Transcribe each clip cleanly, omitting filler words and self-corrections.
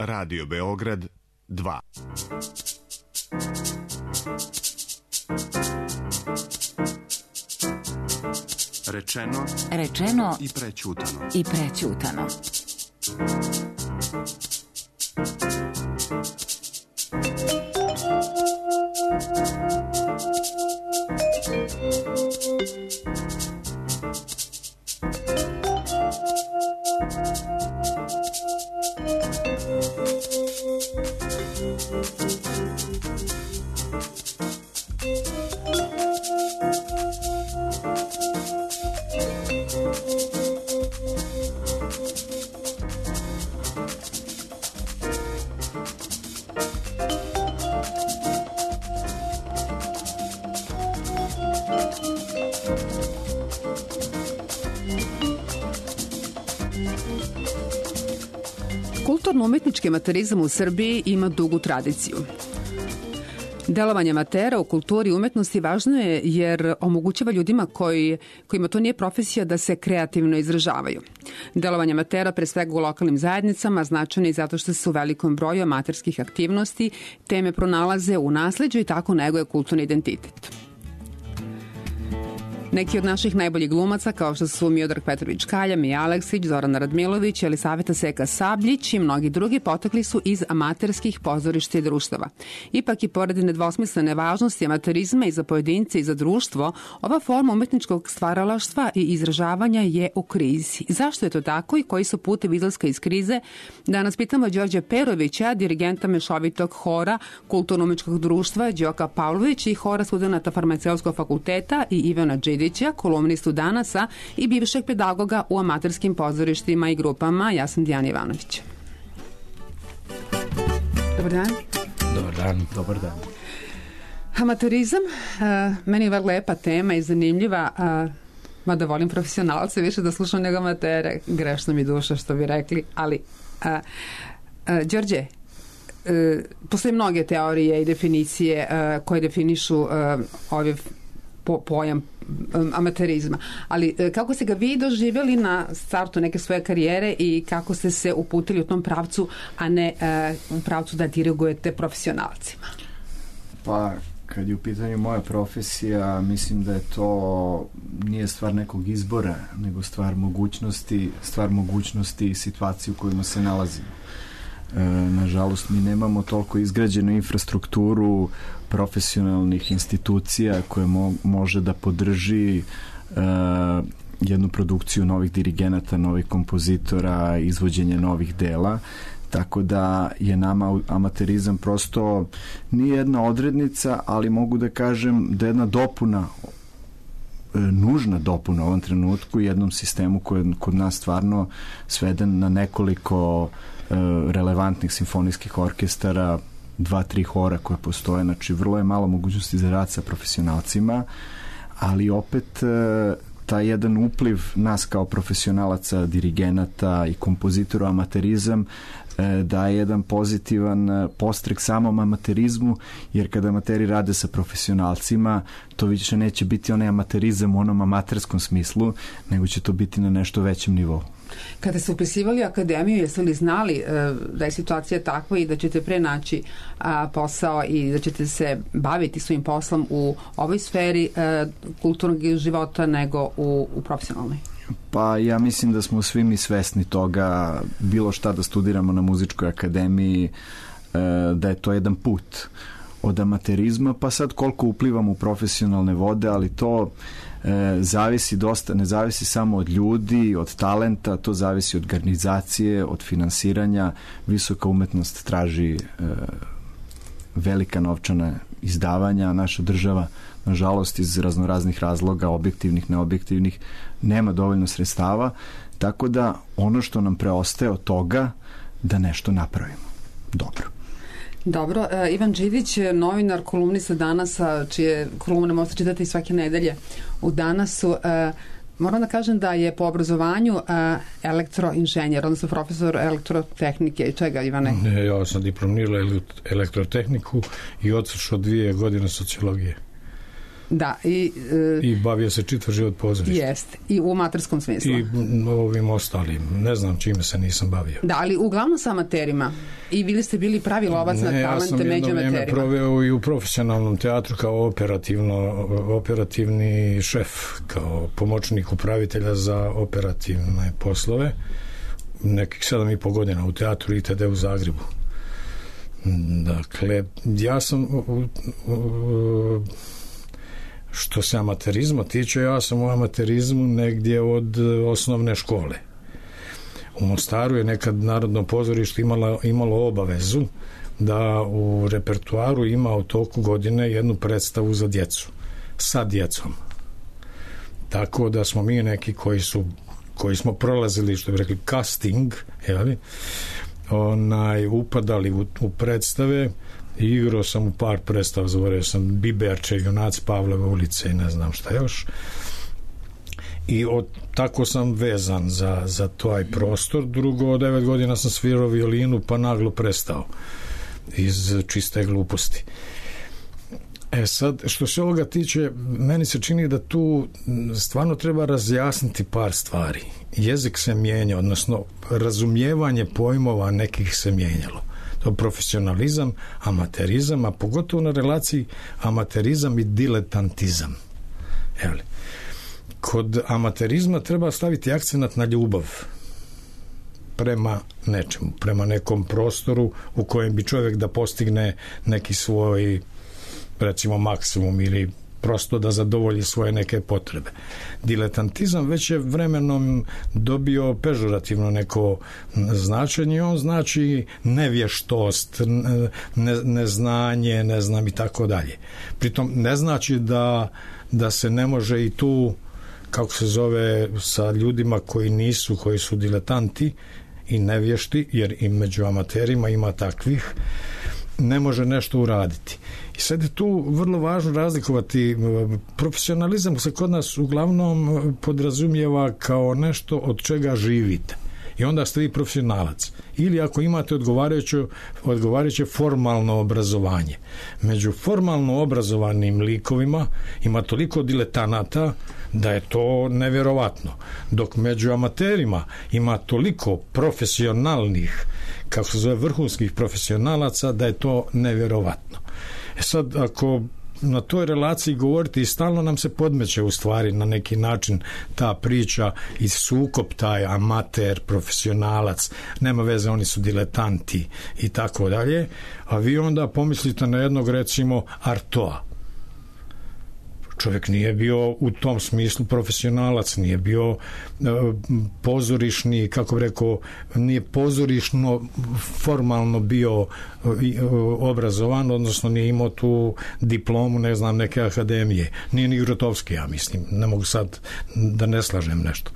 Radio Beograd 2. Rečeno i prećutano. Kulturno-umetnički amaterizam u Srbiji ima dugu tradiciju. Delovanje amatera u kulturi i umetnosti važno je jer omogućava ljudima kojima to nije profesija da se kreativno izražavaju. Delovanje amatera pre svega u lokalnim zajednicama značajno je zato što se u velikom broju amaterskih aktivnosti teme pronalaze u nasleđu i tako neguje kulturni identitet. Neki od naših najboljih glumaca, kao što su Miodrag Petrović Kalja, Mija Aleksić, Zorana Radmilović, Elisaveta Seka Sabljić i mnogi drugi potekli su iz amaterskih pozorišta i društava. Ipak i pored nedvosmislene važnosti amaterizma i za pojedince i za društvo, ova forma umetničkog stvaralaštva i izražavanja je u krizi. Zašto je to tako i koji su putevi izlaska iz krize? Danas pitamo Đorđa Perovića, dirigenta mešovitog hora Kulturno-umetničkog društva Đoka Pavlović i hora studenata Farmaceutskog fakulteta i Ivana Đidića, kolumnistu Danasa i bivšeg pedagoga u amaterskim pozorištima i grupama. Ja sam Dijana Ivanović. Dobar dan. Dobar dan. Dobar dan. Amaterizam, meni je vrlo lepa tema i zanimljiva, mada volim profesionalce više da slušam nego amatere, grešno mi duša što bi rekli, ali Đorđe, postoje mnoge teorije i definicije koje definišu ove pojam amaterizma, ali kako ste ga vi doživjeli na startu neke svoje karijere i kako ste se uputili u tom pravcu, a ne u pravcu da dirigujete profesionalcima? Pa, kad je u pitanju moja profesija, mislim da je to nije stvar nekog izbora, nego stvar mogućnosti i situacije u kojima se nalazimo. Nažalost, mi nemamo toliko izgrađenu infrastrukturu profesionalnih institucija koje može da podrži jednu produkciju novih dirigenata, novih kompozitora, izvođenje novih dela, tako da je nama amaterizam prosto nije jedna odrednica, ali mogu da kažem da je jedna dopuna, nužna dopuna u ovom trenutku jednom sistemu koji je kod nas stvarno sveden na nekoliko relevantnih simfonijskih orkestara, 2-3 hora koje postoje, znači vrlo je malo mogućnosti za rad sa profesionalcima, ali opet taj jedan upliv nas kao profesionalaca, dirigenata i kompozitora amaterizam daje jedan pozitivan podstrek samom amaterizmu, jer kada amateri rade sa profesionalcima, to više neće biti onaj amaterizam u onom amaterskom smislu, nego će to biti na nešto većem nivou. Kada ste upisivali akademiju, jeste li znali da je situacija takva i da ćete pre naći posao i da ćete se baviti svojim poslom u ovoj sferi kulturnog života nego u profesionalnoj? Pa ja mislim da smo svi mi svesni toga, bilo šta da studiramo na muzičkoj akademiji, da je to jedan put od amaterizma, pa sad koliko uplivamo u profesionalne vode, ali to zavisi dosta, ne zavisi samo od ljudi, od talenta, to zavisi od organizacije, od finansiranja. Visoka umetnost traži velika novčana izdavanja, a naša država, nažalost, iz raznoraznih razloga, objektivnih, neobjektivnih, nema dovoljno sredstava, tako da ono što nam preostaje od toga da nešto napravimo. Dobro, Ivan Đidić, novinar, kolumnista Danasa, čije kolumne možete čitati svake nedelje u Danasu. Moram da kažem da je po obrazovanju elektroinženjer, odnosno profesor elektrotehnike. I čega, Ivane? Ne, ja sam diplomirao elektrotehniku i odslušao 2 godine sociologije. Da, i bavio se čitav život pozorištem. Jeste, i u amaterskom smislu. I ovim ostalim. Ne znam čime se nisam bavio. Da, ali uglavnom sa amaterima. I vi ste bili pravi lovac na talente među amaterima. Ja sam jedno vrijeme proveo i u profesionalnom teatru kao operativni šef, kao pomoćnik upravitelja za operativne poslove. Nekih 7,5 godina u teatru ITD u Zagrebu. Dakle, ja sam što se amaterizma tiče, ja sam u amaterizmu negdje od osnovne škole. U Mostaru je nekad Narodno pozorište imalo obavezu da u repertuaru ima u toku godine jednu predstavu za djecu, sa djecom. Tako da smo mi neki koji smo prolazili, što bi rekli, casting, upadali u predstave i igrao sam u par predstava, zaboravio sam Biberče, Junaci Pavlove ulice i ne znam šta još. I tako sam vezan za taj prostor. Drugo, od 9 godina sam svirao violinu, pa naglo prestao iz čiste gluposti. Sad, što se ovoga tiče, meni se čini da tu stvarno treba razjasniti par stvari. Jezik se mijenja, odnosno razumijevanje pojmova nekih se mijenjalo. To je profesionalizam, amaterizam, a pogotovo na relaciji amaterizam i diletantizam. Kod amaterizma treba staviti akcenat na ljubav prema nečemu, prema nekom prostoru u kojem bi čovjek da postigne neki svoj, recimo, maksimum ili prosto da zadovolji svoje neke potrebe. Diletantizam već je vremenom dobio pežorativno neko značenje i on znači nevještost, neznanje, ne znam i tako dalje. Pritom ne znači da se ne može i tu, kako se zove, sa ljudima koji su diletanti i nevješti, jer i među amaterima ima takvih, ne može nešto uraditi. I sad je tu vrlo važno razlikovati. Profesionalizam se kod nas uglavnom podrazumijeva kao nešto od čega živite. I onda ste vi profesionalac. Ili ako imate odgovarajuće formalno obrazovanje. Među formalno obrazovanim likovima ima toliko diletanata da je to nevjerovatno. Dok među amaterima ima toliko profesionalnih, kako se zove, vrhunskih profesionalaca, da je to nevjerovatno. Sad, ako na toj relaciji govoriti i stalno nam se podmeće u stvari na neki način ta priča i sukob, taj amater, profesionalac, nema veze, oni su diletanti i tako dalje, a vi onda pomislite na jednog, recimo, Artoa. Čovjek nije bio u tom smislu profesionalac, nije bio pozorišni, kako bi rekao, nije pozorišno formalno bio obrazovan, odnosno nije imao tu diplomu, ne znam, neke akademije. Nije ni Grotowski, ja mislim. Ne mogu sad da ne slažem nešto.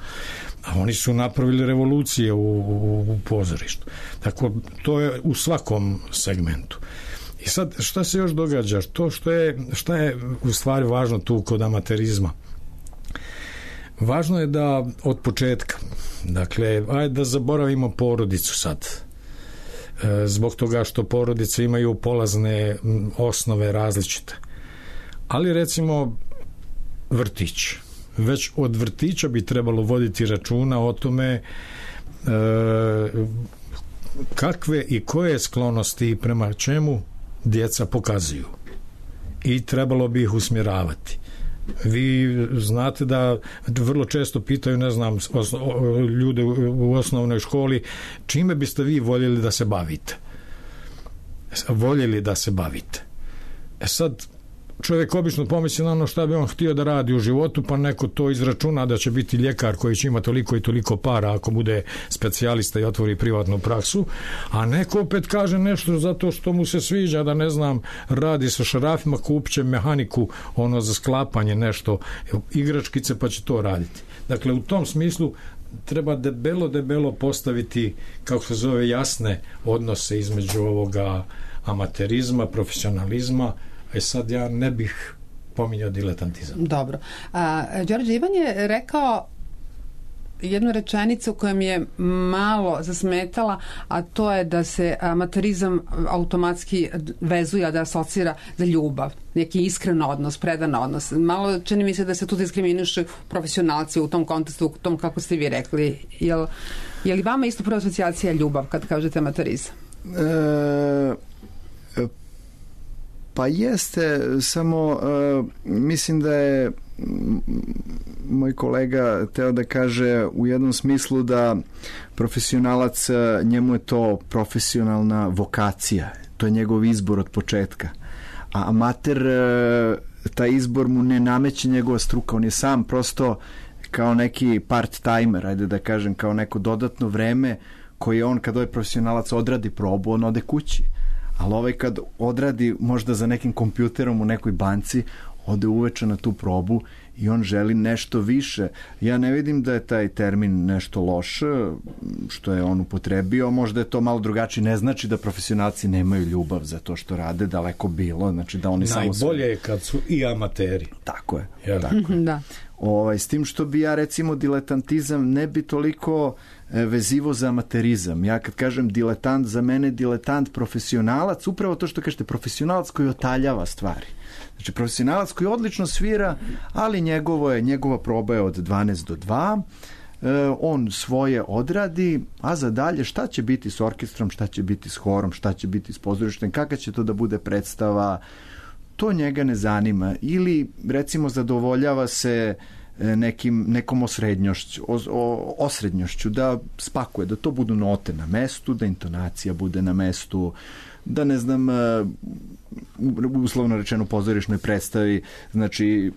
A oni su napravili revolucije u pozorištu. Tako, to je u svakom segmentu. I sad, šta se još događa? Šta je u stvari važno tu kod amaterizma? Važno je da od početka, dakle, ajde da zaboravimo porodicu sad. Zbog toga što porodice imaju polazne osnove različite. Ali recimo vrtić. Već od vrtića bi trebalo voditi računa o tome kakve i koje sklonosti prema čemu djeca pokazuju. I trebalo bi ih usmjeravati. Vi znate da vrlo često pitaju, ne znam, ljude u osnovnoj školi, čime biste vi voljeli da se bavite? Sad, čovjek obično pomisli na ono šta bi on htio da radi u životu, pa neko to izračuna da će biti ljekar koji će imati toliko i toliko para ako bude specijalista i otvori privatnu praksu, a neko opet kaže nešto zato što mu se sviđa, da ne znam, radi sa šarafima, kupće mehaniku, ono za sklapanje nešto, igračkice, pa će to raditi. Dakle, u tom smislu treba debelo postaviti, kako se zove, jasne odnose između ovoga amaterizma, profesionalizma. Sad ja ne bih pominjao diletantizam. Dobro. Đorđe, Ivan je rekao jednu rečenicu koja mi je malo zasmetala, a to je da se amaterizam automatski vezuje, da asocira za ljubav, neki iskren odnos, predan odnos. Malo čini mi se da se tu diskriminišu profesionalci u tom kontekstu, u tom kako ste vi rekli. Je li vama isto prva asocijacija ljubav kad kažete amaterizam? Pa jeste, samo mislim da je moj kolega teo da kaže u jednom smislu da profesionalac, njemu je to profesionalna vokacija, to je njegov izbor od početka, a amater, taj izbor mu ne nameće njegova struka, on je sam prosto kao neki part-timer, ajde da kažem, kao neko dodatno vreme koje on, kad ovaj profesionalac odradi probu, on ode kući. Ali ovaj kad odradi možda za nekim kompjuterom u nekoj banci, ode uveče na tu probu i on želi nešto više. Ja ne vidim da je taj termin nešto loš, što je on upotrebio, možda je to malo drugačije, ne znači da profesionalci nemaju ljubav za to što rade, daleko bilo, znači da oni najbolje samo... je kad su i amateri. Tako je. Ja. Tako je. Da. S tim što bi ja recimo diletantizam ne bi toliko vezivo za amaterizam. Ja kad kažem diletant, za mene diletant profesionalac, upravo to što kažete, profesionalac koji otaljava stvari. Znači profesionalac koji odlično svira, ali njegova proba je od 12 do 2, on svoje odradi, a za dalje šta će biti s orkestrom, šta će biti s horom, šta će biti s pozorištem, kakva će to da bude predstava, to njega ne zanima. Ili recimo zadovoljava se nekom osrednjošću, da spakuje, da to budu note na mestu, da intonacija bude na mestu, da ne znam, uslovno rečeno pozorišnoj predstavi, znači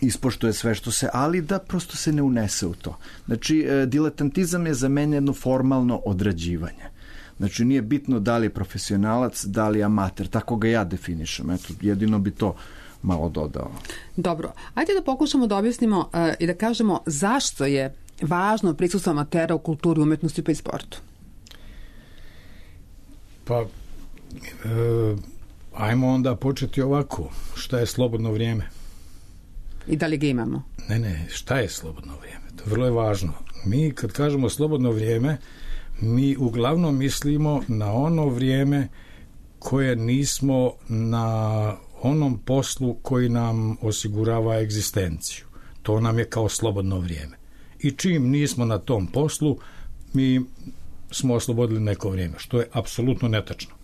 ispoštuje sve što se, ali da prosto se ne unese u to. Znači, diletantizam je za mene jedno formalno odrađivanje. Znači, nije bitno da li je profesionalac, da li je amater, tako ga ja definišem. Eto, jedino bi to malo dodao. Dobro, ajde da pokušamo da objasnimo i da kažemo zašto je važno prisustvo amatera u kulturi, umetnosti pa i sportu. Pa, ajmo onda početi ovako. Šta je slobodno vrijeme? I da li ga imamo? Ne, šta je slobodno vrijeme? To vrlo je važno. Mi kad kažemo slobodno vrijeme, mi uglavnom mislimo na ono vrijeme koje nismo na onom poslu koji nam osigurava egzistenciju. To nam je kao slobodno vrijeme. I čim nismo na tom poslu, mi smo oslobodili neko vrijeme, što je apsolutno netačno.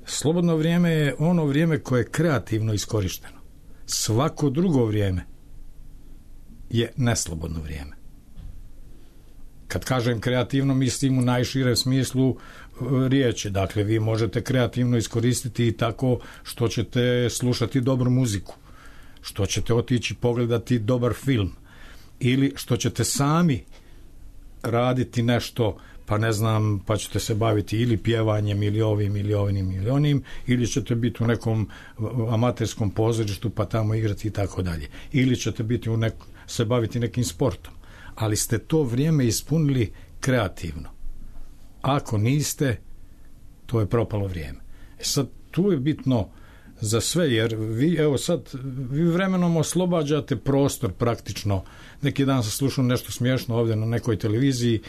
Slobodno vrijeme je ono vrijeme koje je kreativno iskorišteno. Svako drugo vrijeme je neslobodno vrijeme. Kad kažem kreativno, mislim u najširem smislu riječi. Dakle, vi možete kreativno iskoristiti i tako što ćete slušati dobru muziku, što ćete otići pogledati dobar film, ili što ćete sami raditi nešto, pa ne znam, pa ćete se baviti ili pjevanjem, ili ovim, ili onim, ili ćete biti u nekom amaterskom pozorištu, pa tamo igrati i tako dalje. Ili ćete biti se baviti nekim sportom. Ali ste to vrijeme ispunili kreativno. Ako niste, to je propalo vrijeme. Sad, tu je bitno za sve, jer vi vremenom oslobađate prostor praktično. Neki dan sam slušao nešto smiješno ovdje na nekoj televiziji,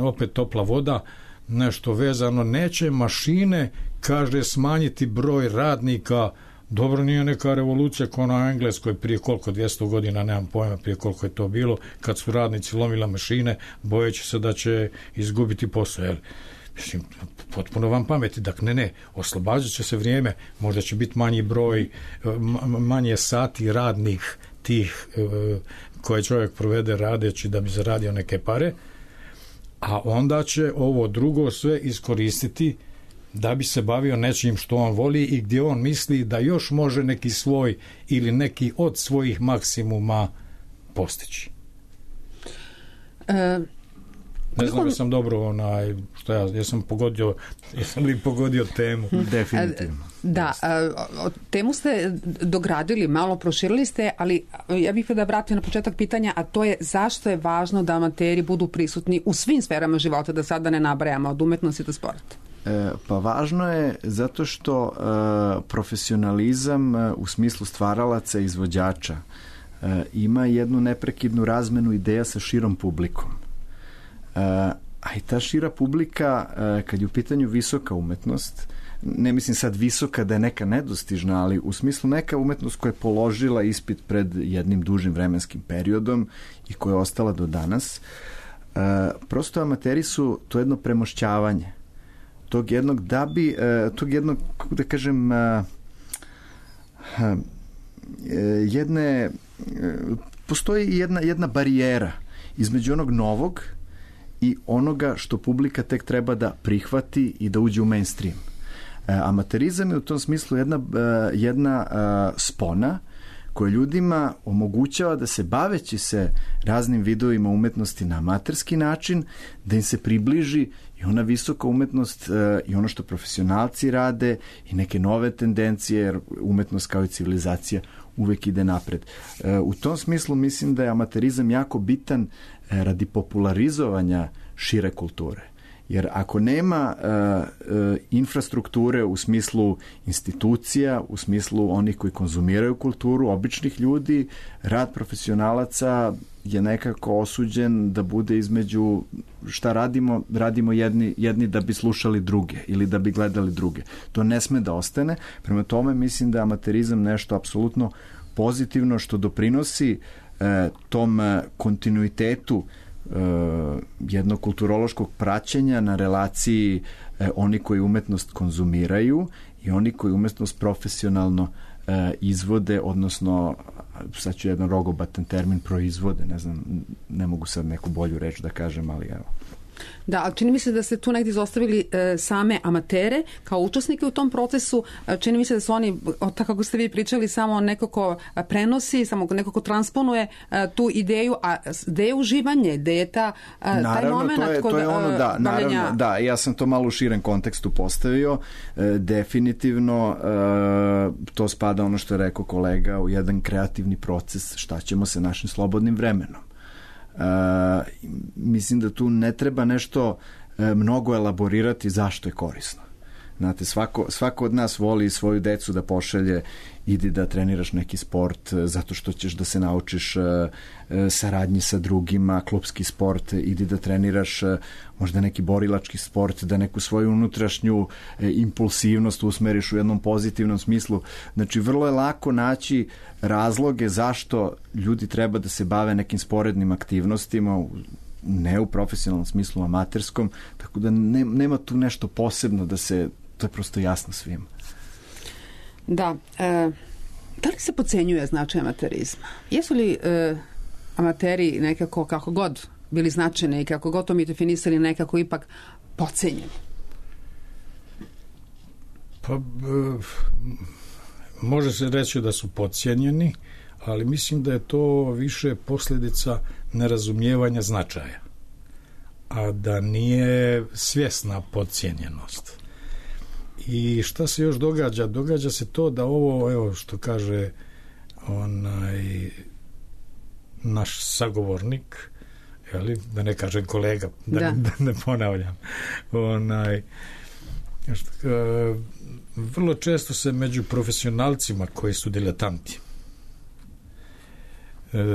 opet topla voda, nešto vezano, neće mašine, kaže, smanjiti broj radnika. Dobro, nije neka revolucija kao na Engleskoj prije koliko, 200 godina, nemam pojma prije koliko je to bilo, kad su radnici lomila mašine, bojeći se da će izgubiti posao. Mislim, potpuno vam pameti. Dakle, ne, oslobađat će se vrijeme, možda će biti manji broj, manje sati radnih tih koje čovjek provede radeći da bi zaradio neke pare, a onda će ovo drugo sve iskoristiti da bi se bavio nečim što on voli i gdje on misli da još može neki svoj ili neki od svojih maksimuma postići. Ne znam da sam dobro jesam li pogodio temu? Definitivno. Da, temu ste dogradili, malo proširili ste, ali ja bih da vratim na početak pitanja, a to je zašto je važno da amateri budu prisutni u svim sferama života, da sada ne nabrajamo od umetnosti do sporta? Pa važno je zato što profesionalizam u smislu stvaralaca i izvođača ima jednu neprekidnu razmenu ideja sa širom publikom. A i ta šira publika, kad je u pitanju visoka umetnost, ne mislim sad visoka da je neka nedostižna, ali u smislu neka umetnost koja je položila ispit pred jednim dužim vremenskim periodom i koja je ostala do danas, prosto amateri su to jedno premošćavanje tog jednog, kako da kažem, postoji jedna barijera između onog novog i onoga što publika tek treba da prihvati i da uđe u mainstream. Amaterizam je u tom smislu jedna spona koja ljudima omogućava da se, baveći se raznim vidovima umetnosti na amaterski način, da im se približi i ona visoka umetnost i ono što profesionalci rade i neke nove tendencije, jer umetnost kao i civilizacija uvek ide napred. U tom smislu mislim da je amaterizam jako bitan radi popularizovanja šire kulture. Jer ako nema infrastrukture u smislu institucija, u smislu onih koji konzumiraju kulturu, običnih ljudi, rad profesionalaca je nekako osuđen da bude između šta radimo jedni da bi slušali druge ili da bi gledali druge. To ne sme da ostane. Prema tome mislim da je amaterizam nešto apsolutno pozitivno što doprinosi tom kontinuitetu jednog kulturološkog praćenja na relaciji oni koji umetnost konzumiraju i oni koji umetnost profesionalno izvode, odnosno sad ću jedan rogobatan termin, proizvode, ne znam, ne mogu sad neku bolju reč da kažem, ali evo. Da, ali čini mi se da ste tu negdje izostavili same amatere kao učesnike u tom procesu. Čini mi se da su oni, tako kako ste vi pričali, samo neko ko prenosi, samo neko ko transponuje tu ideju, a gde je uživanje, gde je taj moment to je ono, da, naravno, da, ja sam to malo u širem kontekstu postavio. Definitivno to spada, ono što je rekao kolega, u jedan kreativni proces, šta ćemo sa našim slobodnim vremenom. Mislim da tu ne treba nešto mnogo elaborirati zašto je korisno. Znate, svako od nas voli svoju decu da pošalje, idi da treniraš neki sport zato što ćeš da se naučiš saradnji sa drugima, klupski sport, idi da treniraš možda neki borilački sport, da neku svoju unutrašnju impulsivnost usmeriš u jednom pozitivnom smislu. Znači, vrlo je lako naći razloge zašto ljudi treba da se bave nekim sporednim aktivnostima, ne u profesionalnom smislu, amaterskom, tako da nema tu nešto posebno da se, to je prosto jasno svima. Da. Da li se podcenjuje značaj amaterizma? Jesu li amateri nekako, kako god bili značajni i kako god to mi definisali, nekako ipak podcenjeni? Pa, može se reći da su podcijenjeni, ali mislim da je to više posljedica nerazumijevanja značaja, a da nije svjesna podcijenjenost. I šta se još događa? Događa se to da ovo, evo što kaže naš sagovornik, da ne kažem kolega, da ne ponavljam, vrlo često se među profesionalcima koji su diletanti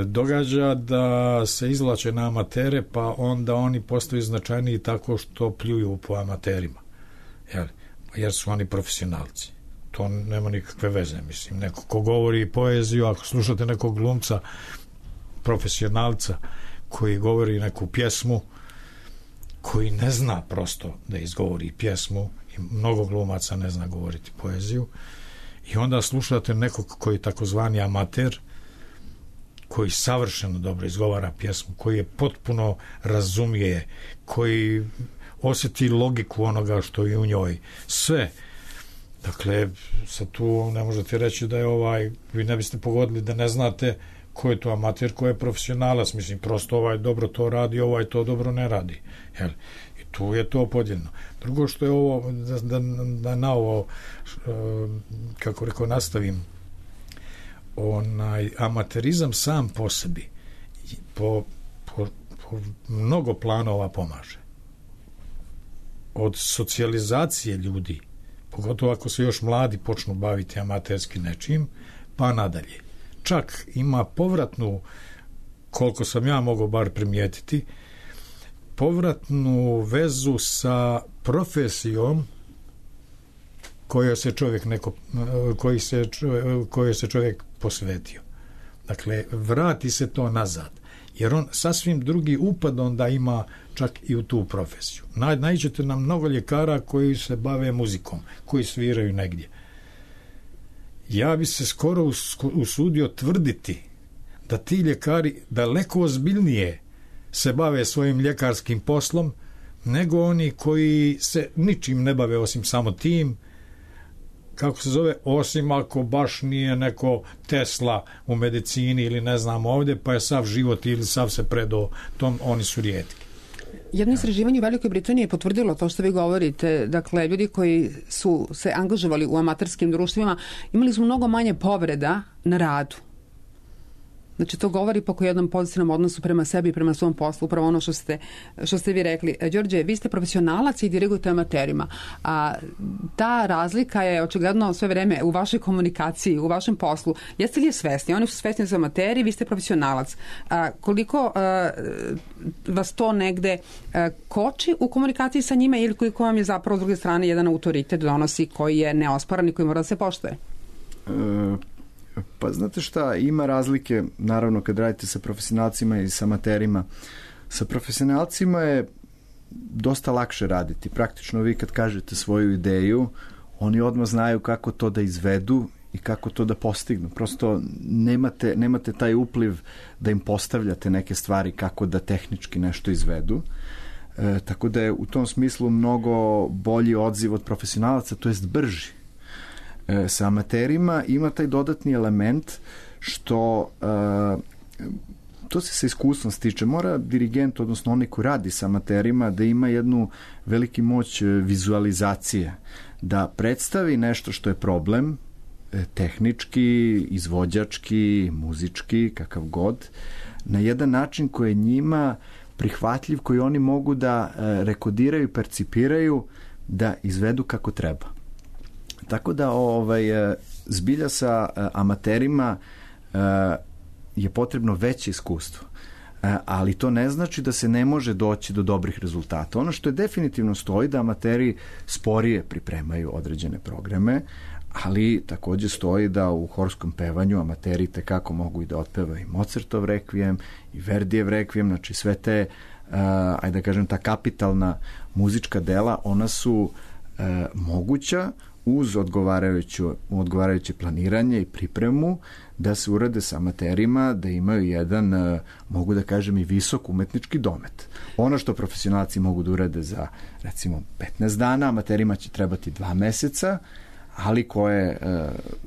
događa da se izvlače na amatere, pa onda oni postaju značajniji tako što pljuju po amaterima, jer su oni profesionalci. To nema nikakve veze, mislim. Neko ko govori poeziju, ako slušate nekog glumca profesionalca koji govori neku pjesmu, koji ne zna prosto da izgovori pjesmu, i mnogo glumaca ne zna govoriti poeziju, i onda slušate nekog koji je takozvani amater, koji savršeno dobro izgovara pjesmu, koji je potpuno razumije, koji osjeti logiku onoga što je u njoj. Sve. Dakle, sad tu ne možete reći da je vi ne biste pogodili da ne znate ko je to amater, ko je profesionalac. Mislim, prosto dobro to radi, to dobro ne radi. I tu je to podijeljeno. Drugo što je ovo, da na ovo, kako rekao, nastavim, amaterizam sam po sebi po mnogo planova pomaže. Od socijalizacije ljudi, pogotovo ako se još mladi počnu baviti amaterski nečim, pa nadalje. čak ima povratnu, koliko sam ja mogao bar primijetiti, povratnu vezu sa profesijom kojoj se čovjek posvetio. Dakle, vrati se to nazad, jer on sasvim drugi upad onda ima čak i u tu profesiju. Nađete nam mnogo ljekara koji se bave muzikom, koji sviraju negdje. Ja bi se skoro usudio tvrditi da ti ljekari daleko ozbiljnije se bave svojim ljekarskim poslom nego oni koji se ničim ne bave osim samo tim, kako se zove, osim ako baš nije neko Tesla u medicini ili ne znam ovdje, pa je sav život ili sav se predao tom, oni su rijetki. Jedno istraživanje u Velikoj Britaniji je potvrdilo to što vi govorite. Dakle, ljudi koji su se angažovali u amaterskim društvima imali su mnogo manje povreda na radu. Znači, to govori po jednom pozitivnom odnosu prema sebi i prema svom poslu, upravo ono što ste vi rekli. Đorđe, vi ste profesionalac i dirigujete amaterima. A ta razlika je očigledno sve vreme u vašoj komunikaciji, u vašem poslu. Jeste li je svesni? Oni su svesni za amateri, vi ste profesionalac. Koliko vas to negde koči u komunikaciji sa njima ili koliko vam je zapravo s druge strane jedan autoritet donosi koji je neosporan i koji mora da se poštuje? Pa znate šta, ima razlike naravno kad radite sa profesionalcima i sa amaterima. Sa profesionalcima je dosta lakše raditi. Praktično vi kad kažete svoju ideju, oni odmah znaju kako to da izvedu i kako to da postignu. Prosto nemate taj upliv da im postavljate neke stvari kako da tehnički nešto izvedu. Tako da je u tom smislu mnogo bolji odziv od profesionalaca, to jest brži. Sa amaterima ima taj dodatni element što to se sa iskustvom stiče. Mora dirigent, odnosno onaj koji radi sa amaterima, da ima jednu veliki moć vizualizacije, da predstavi nešto što je problem, tehnički, izvođački, muzički, kakav god, na jedan način koji je njima prihvatljiv, koji oni mogu da rekodiraju, percipiraju, da izvedu kako treba. Tako da zbilja sa amaterima je potrebno veće iskustvo. Ali to ne znači da se ne može doći do dobrih rezultata. Ono što je definitivno stoji da amateri sporije pripremaju određene programe, ali također stoji da u horskom pevanju amateri tekako mogu i da otpevaju i Mozartov rekvijem i Verdijev rekvijem, znači sve te, ajde da kažem, ta kapitalna muzička dela, ona su moguća uz odgovarajuće planiranje i pripremu da se urade sa amaterima, da imaju jedan, mogu da kažem, i visok umetnički domet. Ono što profesionalci mogu da urade za, recimo, 15 dana, amaterima će trebati 2 meseca, ali ko je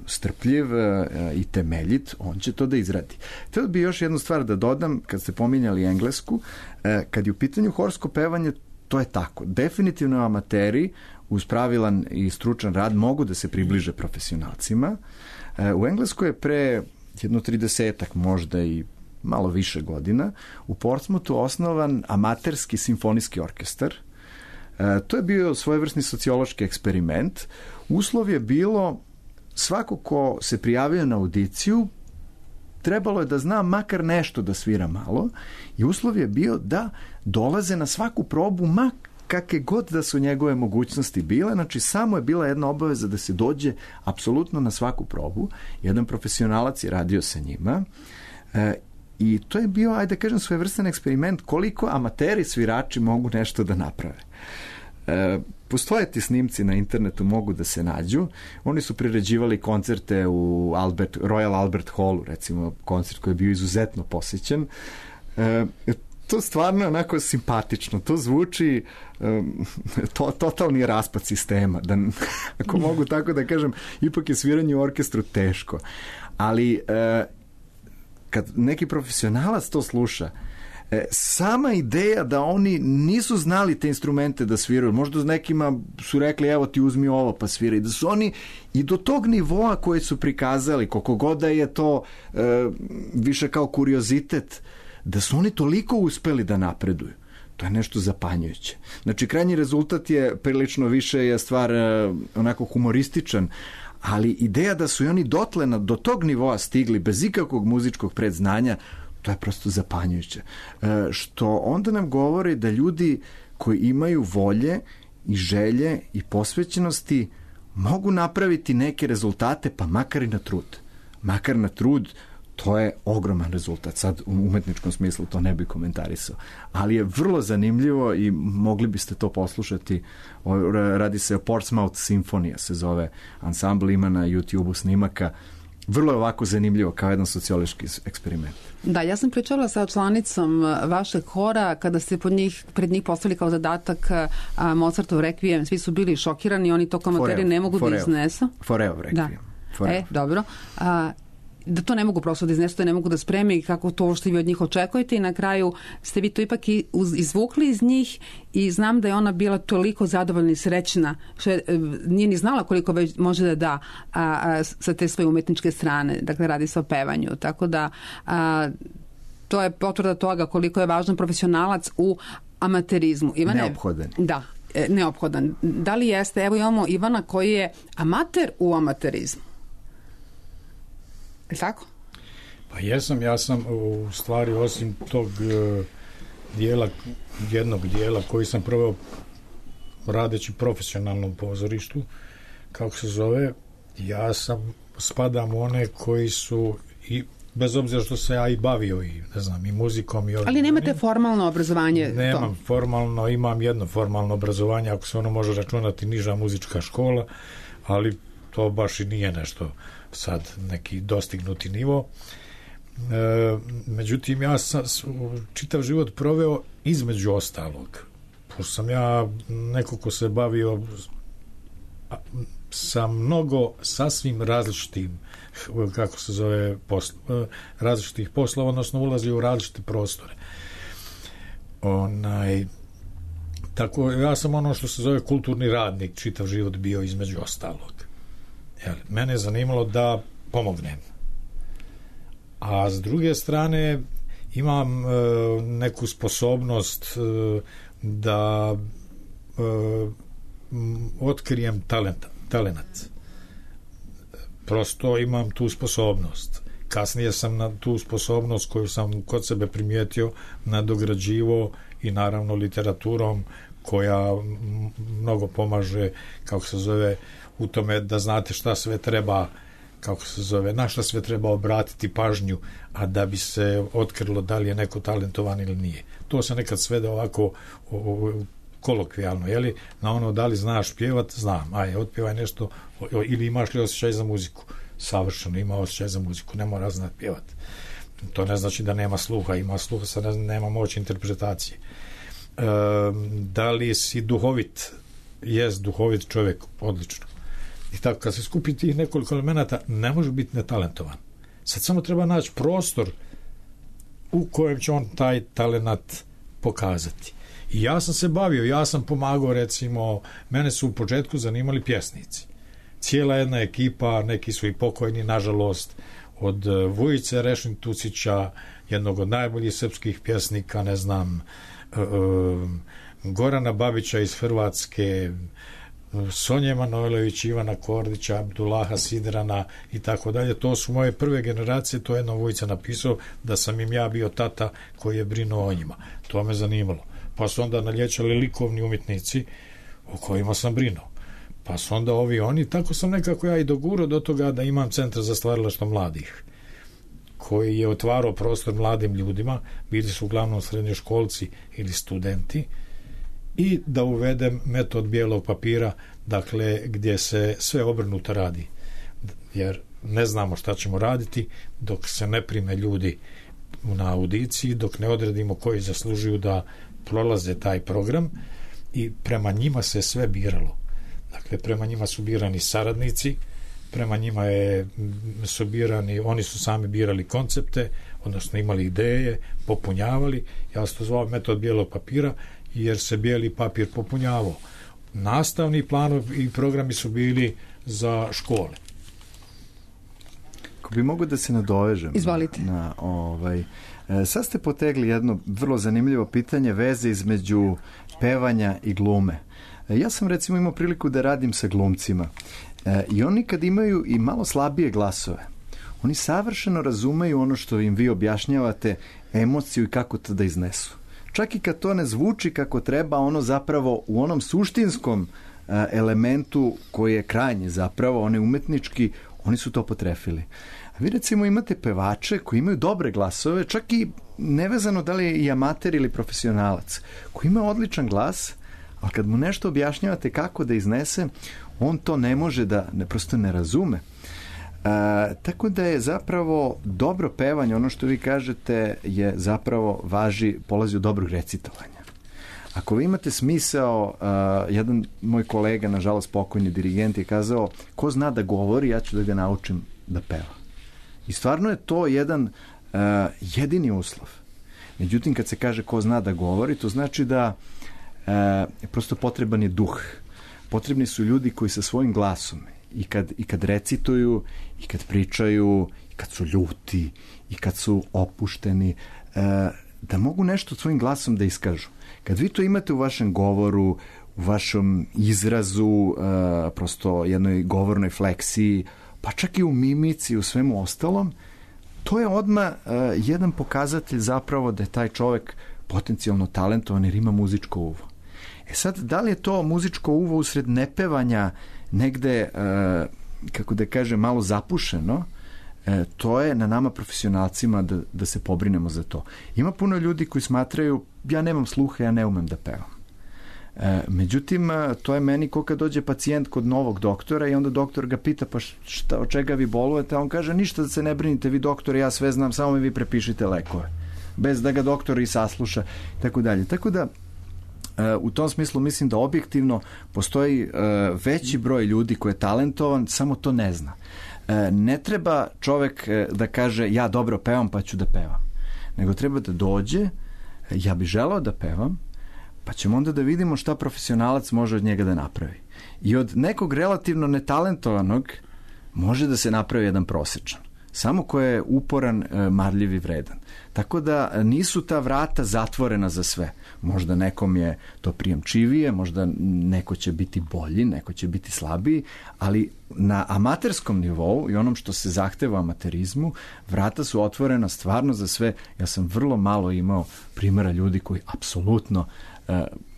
strpljiv i temeljit, on će to da izradi. Htio bi još jednu stvar da dodam, kad ste pominjali Englesku, kad je u pitanju horsko pevanje, to je tako. Definitivno amateri uz pravilan i stručan rad mogu da se približe profesionalcima. U Engleskoj je pre jedno 30-ak, možda i malo više godina, u Portsmouthu osnovan amaterski simfonijski orkestar. To je bio svojevrsni sociološki eksperiment. Uslov je bilo svako ko se prijavio na audiciju, trebalo je da zna makar nešto da svira malo i uslov je bio da dolaze na svaku probu kakve god da su njegove mogućnosti bile, znači samo je bila jedna obaveza da se dođe apsolutno na svaku probu. Jedan profesionalac je radio sa njima i to je bio, ajde da kažem, svojevrstan eksperiment koliko amateri svirači mogu nešto da naprave. Postoje ti snimci na internetu, mogu da se nađu. Oni su priređivali koncerte u Royal Albert Hallu, recimo koncert koji je bio izuzetno posjećen. To stvarno je onako simpatično. To zvuči totalni raspad sistema. Ako mogu tako da kažem, ipak je sviranje u orkestru teško. Ali kad neki profesionalac to sluša, sama ideja da oni nisu znali te instrumente da sviraju, možda nekima su rekli evo ti uzmi ovo pa sviraj, da su oni i do tog nivoa koji su prikazali, koliko god da je to više kao kuriozitet, da su oni toliko uspeli da napreduju. To je nešto zapanjujuće. Znači, krajnji rezultat je prilično više je stvar onako humorističan, ali ideja da su i oni dotle do tog nivoa stigli bez ikakvog muzičkog predznanja, to je prosto zapanjujuće. Što onda nam govori da ljudi koji imaju volje i želje i posvećenosti mogu napraviti neke rezultate, pa makar i na trud. Makar na trud, to je ogroman rezultat. Sad u umetničkom smislu to ne bi komentarisao. Ali je vrlo zanimljivo i mogli biste to poslušati. Radi se o Portsmouth Sinfonija, se zove ansambl, ima na YouTube-u snimaka. Vrlo je ovako zanimljivo kao jedan sociološki eksperiment. Da, ja sam pričala sa članicom vašeg hora kada ste pred njih postavili kao zadatak Mozartov Requiem. Svi su bili šokirani, oni to komentari ne mogu da iznesu. Foreo Requiem. Da. Dobro. Da to ne mogu prosto da iznesu, da ne mogu da spreme i kako to što vi od njih očekujete i na kraju ste vi to ipak izvukli iz njih i znam da je ona bila toliko zadovoljna i srećna što nije ni znala koliko već može da sa te svoje umetničke strane, dakle radi se o pevanju, tako da to je potvrda toga koliko je važan profesionalac u amaterizmu. Ivane, neophodan. Da, neophodan. Da li jeste? Evo imamo Ivana koji je amater u amaterizmu. Tako? Pa jesam, ja sam u stvari osim tog jednog dijela koji sam proveo radeći profesionalno u pozorištu, kako se zove, ja spadam u one koji su i bez obzira što se ja i bavio i ne znam i muzikom i ali nemate formalno obrazovanje? Nemam formalno, imam jedno formalno obrazovanje, ako se ono može računati niža muzička škola, ali to baš i nije nešto sad neki dostignuti nivo. Međutim, ja sam čitav život proveo između ostalog. Pošto sam ja neko ko se bavio sa mnogo sasvim različitim kako se zove različitih poslova, odnosno ulazio u različite prostore. Tako, ja sam ono što se zove kulturni radnik, čitav život bio između ostalog. Mene je zanimalo da pomognem. A s druge strane imam neku sposobnost da otkrijem talenat. Prosto imam tu sposobnost. Kasnije sam na tu sposobnost koju sam kod sebe primijetio nadograđivo i naravno literaturom koja mnogo pomaže, kako se zove, u tome da znate šta sve treba, kako se zove, na šta sve treba obratiti pažnju, a da bi se otkrilo da li je neko talentovan ili nije. To se nekad svede ovako kolokvijalno, jeli? Na ono da li znaš pjevat, znam, otpjevaj nešto, ili imaš li osjećaj za muziku. Savršeno ima osjećaj za muziku, ne mora znati pjevat. To ne znači da nema sluha, ima sluha, sad nema moći interpretacije. Da li si duhovit? Jest duhovit čovjek, odlično. I tako, kad se skupi tih nekoliko elemenata, ne može biti netalentovan. Sad samo treba naći prostor u kojem će on taj talenat pokazati. I ja sam se bavio, ja sam pomagao, recimo, mene su u početku zanimali pjesnici. Cijela jedna ekipa, neki su i pokojni, nažalost, od Vujice Rešin-Tucića, jednog od najboljih srpskih pjesnika, ne znam, Gorana Babića iz Hrvatske, Sonje Manojlović, Ivana Kordića, Abdullaha Sidrana i tako dalje. To su moje prve generacije, to je jedno Vujica napisao da sam im ja bio tata koji je brinuo o njima. To me zanimalo. Pa su onda nalječali likovni umjetnici o kojima sam brinuo. Pa su onda oni, tako sam nekako ja i dogurao do toga da imam centar za stvaralaštvo mladih, koji je otvarao prostor mladim ljudima, bili su uglavnom srednjoškolci ili studenti, i da uvedem metod bijelog papira, dakle, gdje se sve obrnuto radi. Jer ne znamo šta ćemo raditi dok se ne prime ljudi na audiciji, dok ne odredimo koji zaslužuju da prolaze taj program, i prema njima se sve biralo. Dakle, prema njima su birani saradnici, prema njima su birani, oni su sami birali koncepte, odnosno imali ideje, popunjavali. Ja sam to zvao metod bijelog papira, jer se bijeli papir popunjavao. Nastavni planovi i programi su bili za škole. Ako bi mogu da se nadovežem. Izvolite. Sad ste potegli jedno vrlo zanimljivo pitanje, veze između pevanja i glume. Ja sam recimo imao priliku da radim sa glumcima i oni kad imaju i malo slabije glasove, oni savršeno razumeju ono što im vi objašnjavate, emociju i kako to da iznesu. Čak i kad to ne zvuči kako treba, ono zapravo u onom suštinskom elementu koji je krajnji zapravo, onaj umetnički, oni su to potrefili. A vi recimo imate pevače koji imaju dobre glasove, čak i nevezano da li je i amater ili profesionalac, koji ima odličan glas, ali kad mu nešto objašnjavate kako da iznese, on to ne može da, prosto ne razume. Tako da je zapravo dobro pevanje, ono što vi kažete je zapravo polazi od dobrog recitovanja. Ako vi imate smisao, jedan moj kolega, nažalost pokojni dirigent, je kazao, ko zna da govori, ja ću da ga naučim da peva. I stvarno je to jedan jedini uslov. Međutim, kad se kaže ko zna da govori, to znači da prosto potreban je duh. Potrebni su ljudi koji sa svojim glasom i kad recituju, i kad pričaju, i kad su ljuti, i kad su opušteni, da mogu nešto svojim glasom da iskažu. Kad vi to imate u vašem govoru, u vašem izrazu, prosto jednoj govornoj fleksiji, pa čak i u mimici, u svemu ostalom, to je odmah jedan pokazatelj zapravo da je taj čovek potencijalno talentovan jer ima muzičko uvo. Sad, da li je to muzičko uvo usred nepevanja negde, kako da kažem, malo zapušeno, to je na nama profesionalcima da se pobrinemo za to. Ima puno ljudi koji smatraju, ja nemam sluha, ja ne umem da pevam. Međutim, to je meni ko kad dođe pacijent kod novog doktora i onda doktor ga pita, pa od čega vi bolujete, a on kaže, ništa da se ne brinite, vi doktor, ja sve znam, samo mi vi prepišite lekove, bez da ga doktor i sasluša, tako dalje. Tako da, u tom smislu mislim da objektivno postoji veći broj ljudi koji je talentovan, samo to ne zna. Ne treba čovek da kaže, ja dobro pevam pa ću da pevam, nego treba da dođe, ja bih želeo da pevam, pa ćemo onda da vidimo šta profesionalac može od njega da napravi. I od nekog relativno netalentovanog može da se napravi jedan prosečan. Samo ko je uporan, marljiv i vredan. Tako da nisu ta vrata zatvorena za sve. Možda nekom je to prijemčivije, možda neko će biti bolji, neko će biti slabiji, ali na amaterskom nivou i onom što se zahteva amaterizmu, vrata su otvorena stvarno za sve. Ja sam vrlo malo imao primjera ljudi koji apsolutno,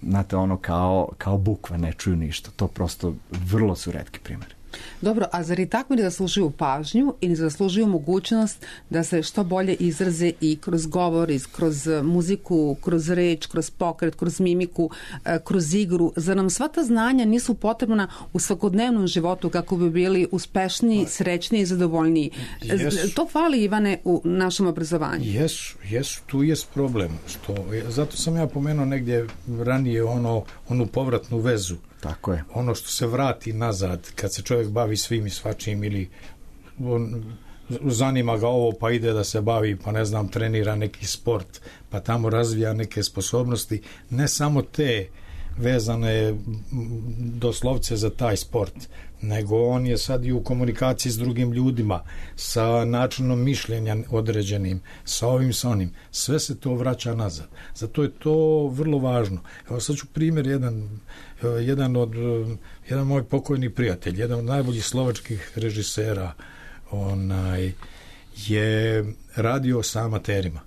znate, ono kao bukva, ne čuju ništa. To prosto vrlo su retki primjeri. Dobro, a zar i takvi ne zaslužuju pažnju i ne zaslužuju mogućnost da se što bolje izraze i kroz govor, i kroz muziku, kroz reč, kroz pokret, kroz mimiku, kroz igru? Zar nam sva ta znanja nisu potrebna u svakodnevnom životu kako bi bili uspešniji, srećniji i zadovoljniji? To fali, Ivane, u našem obrazovanju. Jesu, tu jest problem. Zato sam ja pomenuo negdje ranije onu povratnu vezu. Tako je. Ono što se vrati nazad, kad se čovjek bavi svim i svačim ili zanima ga ovo pa ide da se bavi, pa ne znam, trenira neki sport, pa tamo razvija neke sposobnosti, ne samo te vezane doslovce za taj sport, nego on je sad i u komunikaciji s drugim ljudima, sa načinom mišljenja određenim, sa ovim, sa onim. Sve se to vraća nazad. Zato je to vrlo važno. Evo sad ću primjer jedan moj pokojni prijatelj, jedan od najboljih slovačkih režisera, je radio sa amaterima.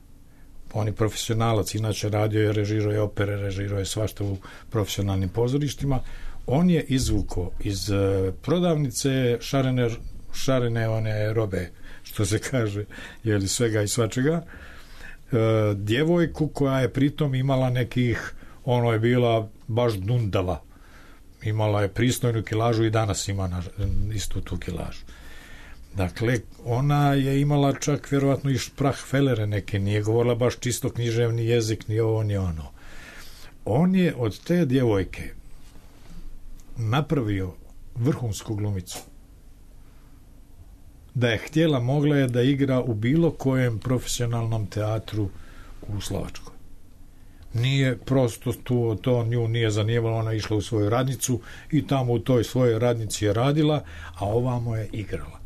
On je profesionalac, inače radio je, režirao je opere, režirao je svašta u profesionalnim pozorištima. On je izvukao iz prodavnice šarene one robe, što se kaže, jeli, svega i svačega, djevojku koja je pritom imala nekih, ono je bila baš dundala, imala je pristojnu kilažu i danas ima istu tu kilažu. Dakle, ona je imala čak vjerovatno i šprahfelere neke, nije govorila baš čisto književni jezik, ni ovo, ni ono. On je od te djevojke napravio vrhunsku glumicu. Da je htjela, mogla je da igra u bilo kojem profesionalnom teatru u Slovačkoj. Nije prosto to nju nije zanimalo, ona je išla u svoju radnicu i tamo u toj svojoj radnici je radila, a ovamo je igrala.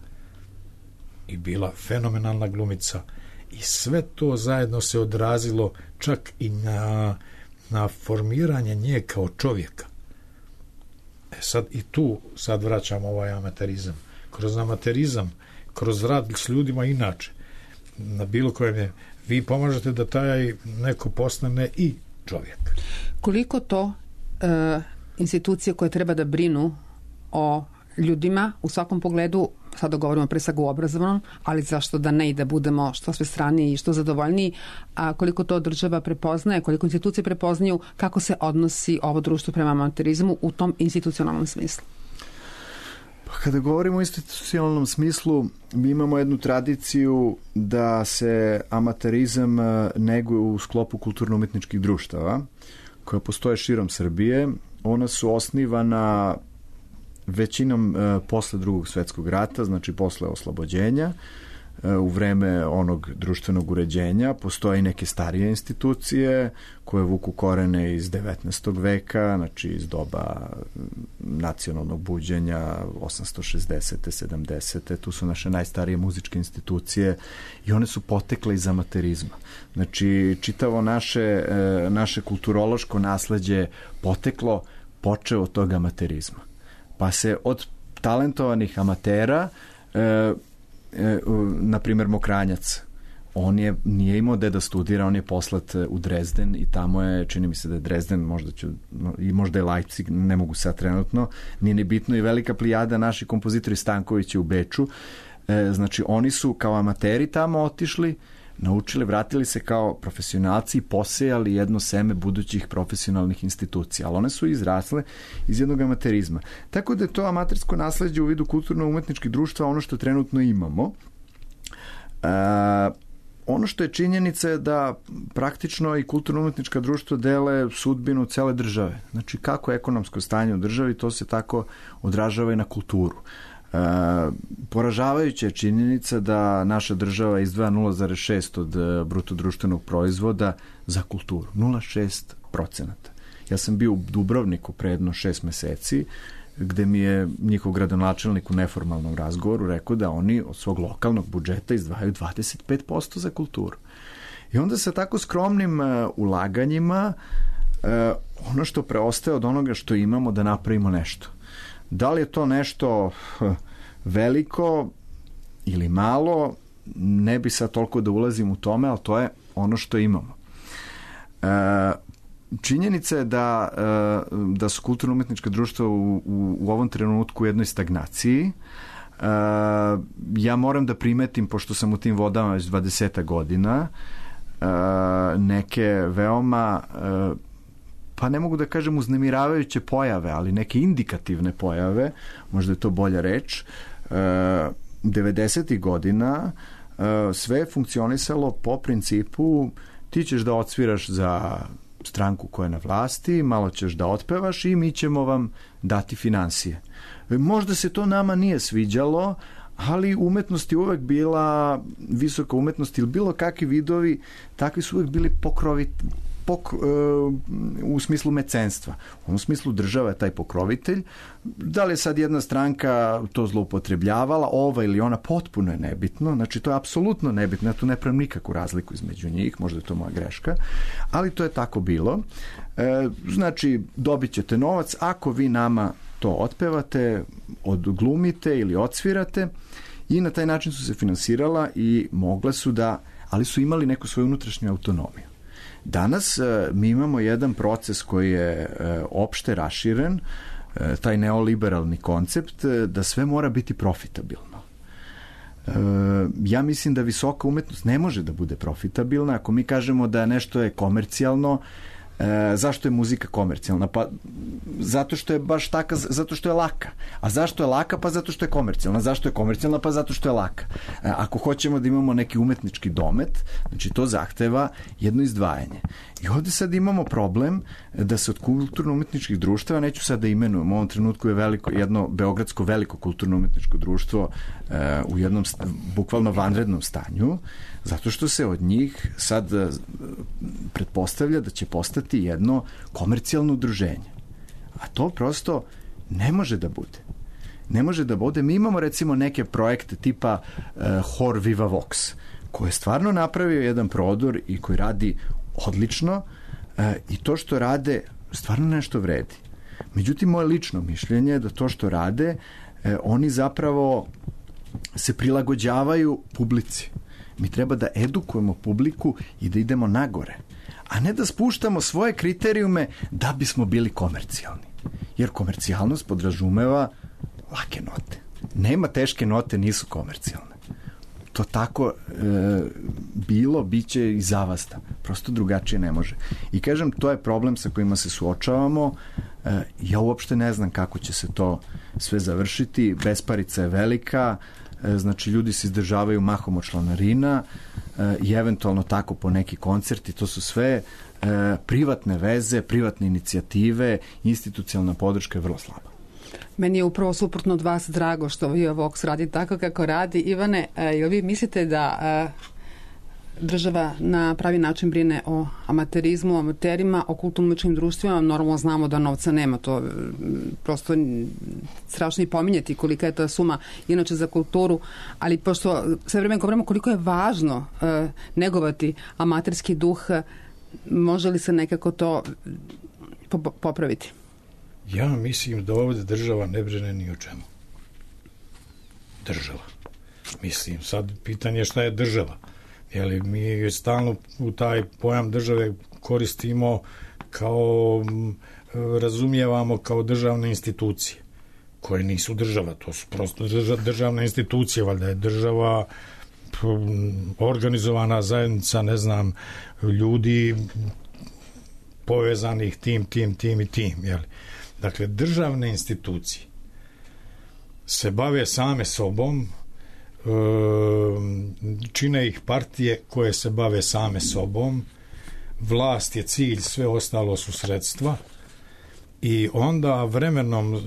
I bila fenomenalna glumica. I sve to zajedno se odrazilo čak i na formiranje nje kao čovjeka. sad i tu sad vraćamo ovaj amaterizam. Kroz amaterizam, kroz rad s ljudima inače, na bilo kojem je, vi pomažete da taj neko postane i čovjek. Koliko to institucije koje treba da brinu o ljudima u svakom pogledu, sada govorimo pre svega u obrazovanom, ali zašto da ne i da budemo što sve straniji i što zadovoljniji, a koliko to država prepoznaje, koliko institucije prepoznaju, kako se odnosi ovo društvo prema amaterizmu u tom institucionalnom smislu? Pa kada govorimo o institucionalnom smislu, mi imamo jednu tradiciju da se amaterizam neguje u sklopu kulturno-umetničkih društava koja postoje širom Srbije. Ona su osnivana većinom posle Drugog svetskog rata, znači posle oslobođenja, u vreme onog društvenog uređenja. Postoje i neke starije institucije koje vuku korene iz 19. veka, znači iz doba nacionalnog buđenja 860. 70. Tu su naše najstarije muzičke institucije i one su potekle iz amaterizma. Znači čitavo naše kulturološko nasleđe počeo od tog amaterizma. Pa se od talentovanih amatera, na primjer Mokranjac, on nije imao gde da studira, on je poslat u Drezden i tamo je, čini mi se da je Drezden, možda je Leipzig, ne mogu sad trenutno, nije ni bitno, i velika plijada naši kompozitori Stanković u Beču. Znači oni su kao amateri tamo otišli, naučili, vratili se kao profesionalci i posejali jedno seme budućih profesionalnih institucija, ali one su izrasle iz jednog amaterizma. Tako da je to amatersko nasleđe u vidu kulturno-umetničkih društva ono što trenutno imamo. Ono što je činjenica je da praktično i kulturno-umetnička društva dele sudbinu cele države. Znači kako je ekonomsko stanje u državi, to se tako odražava i na kulturu. Poražavajuća je činjenica da naša država izdvaja 0,6 od bruto društvenog proizvoda za kulturu. 0,6%. Ja sam bio u Dubrovniku pre jedno 6 meseci, gde mi je njihov gradonačelnik u neformalnom razgovoru rekao da oni od svog lokalnog budžeta izdvajaju 25% za kulturu. I onda sa tako skromnim ulaganjima ono što preostaje od onoga što imamo da napravimo nešto. Da li je to nešto veliko ili malo, ne bi sad toliko da ulazim u tome, ali to je ono što imamo. Činjenica je da su kulturno-umetnička društva u ovom trenutku u jednoj stagnaciji. Ja moram da primetim, pošto sam u tim vodama već 20 godina, neke veoma pa ne mogu da kažem uznemiravajuće pojave, ali neke indikativne pojave, možda je to bolja reč. 90. godina sve je funkcionisalo po principu ti ćeš da odsviraš za stranku koja je na vlasti, malo ćeš da otpevaš i mi ćemo vam dati finansije. Možda se to nama nije sviđalo, ali umetnost je uvek bila visoka umetnost ili bilo kakvi vidovi, takvi su uvek bili u smislu mecenstva. U smislu država je taj pokrovitelj. Da li je sad jedna stranka to zloupotrebljavala, ova ili ona, potpuno je nebitno. Znači, to je apsolutno nebitno. Ja tu ne pravim nikakvu razliku između njih, možda je to moja greška, ali to je tako bilo. Znači, dobit ćete novac ako vi nama to otpevate, odglumite ili odsvirate, i na taj način su se finansirala i mogle su da, ali su imali neku svoju unutrašnju autonomiju. Danas mi imamo jedan proces koji je opšte raširen, taj neoliberalni koncept da sve mora biti profitabilno. Ja mislim da visoka umetnost ne može da bude profitabilna. Ako mi kažemo da nešto je komercijalno, zašto je muzika komercijalna? Pa zato što je baš taka, zato što je laka. A zašto je laka? Pa zato što je komercijalna. Zašto je komercijalna? Pa zato što je laka. Ako hoćemo da imamo neki umetnički domet, znači to zahteva jedno izdvajanje. I ovde sad imamo problem da se od kulturno-umetničkih društava, neću sad da imenujem, u ovom trenutku je jedno beogradsko veliko kulturno-umetničko društvo u jednom bukvalno vanrednom stanju, zato što se od njih sad pretpostavlja da će postati jedno komercijalno udruženje. A to prosto ne može da bude. Ne može da bude. Mi imamo recimo neke projekte tipa Hor Viva Vox, koji je stvarno napravio jedan prodor i koji radi odlično, i to što rade stvarno nešto vredi. Međutim, moje lično mišljenje je da to što rade, oni zapravo se prilagođavaju publici. Mi treba da edukujemo publiku i da idemo nagore, a ne da spuštamo svoje kriterijume da bismo bili komercijalni. Jer komercijalnost podrazumeva lake note. Nema teške note, nisu komercijalne. To tako bilo, bit će i zavasta. Prosto drugačije ne može. I kažem, to je problem sa kojima se suočavamo. Ja uopšte ne znam kako će se to sve završiti. Besparica je velika, znači ljudi se izdržavaju mahom od članarina i eventualno tako po neki koncerti. To su sve privatne veze, privatne inicijative, institucionalna podrška je vrlo slaba. Meni je upravo suprotno od vas drago što Viva Vox radi tako kako radi. Ivane, jel vi mislite da država na pravi način brine o amaterizmu, amaterima, o kulturno-umetničkim društvima? Normalno znamo da novca nema, to prosto strašno i pominjeti kolika je ta suma inače za kulturu, ali pošto sve vreme govorimo koliko je važno negovati amaterski duh, može li se nekako to popraviti? Ja mislim da ovdje država ne brine ni o čemu. Država. Mislim, sad pitanje je šta je država. Jeli, mi stalno u taj pojam države koristimo kao, razumijevamo kao državne institucije, koje nisu država, to su prosto državne institucije, valjda je država organizovana zajednica, ne znam, ljudi povezanih tim i tim, jeli. Dakle, državne institucije se bave same sobom, čine ih partije koje se bave same sobom, vlast je cilj, sve ostalo su sredstva i onda vremenom,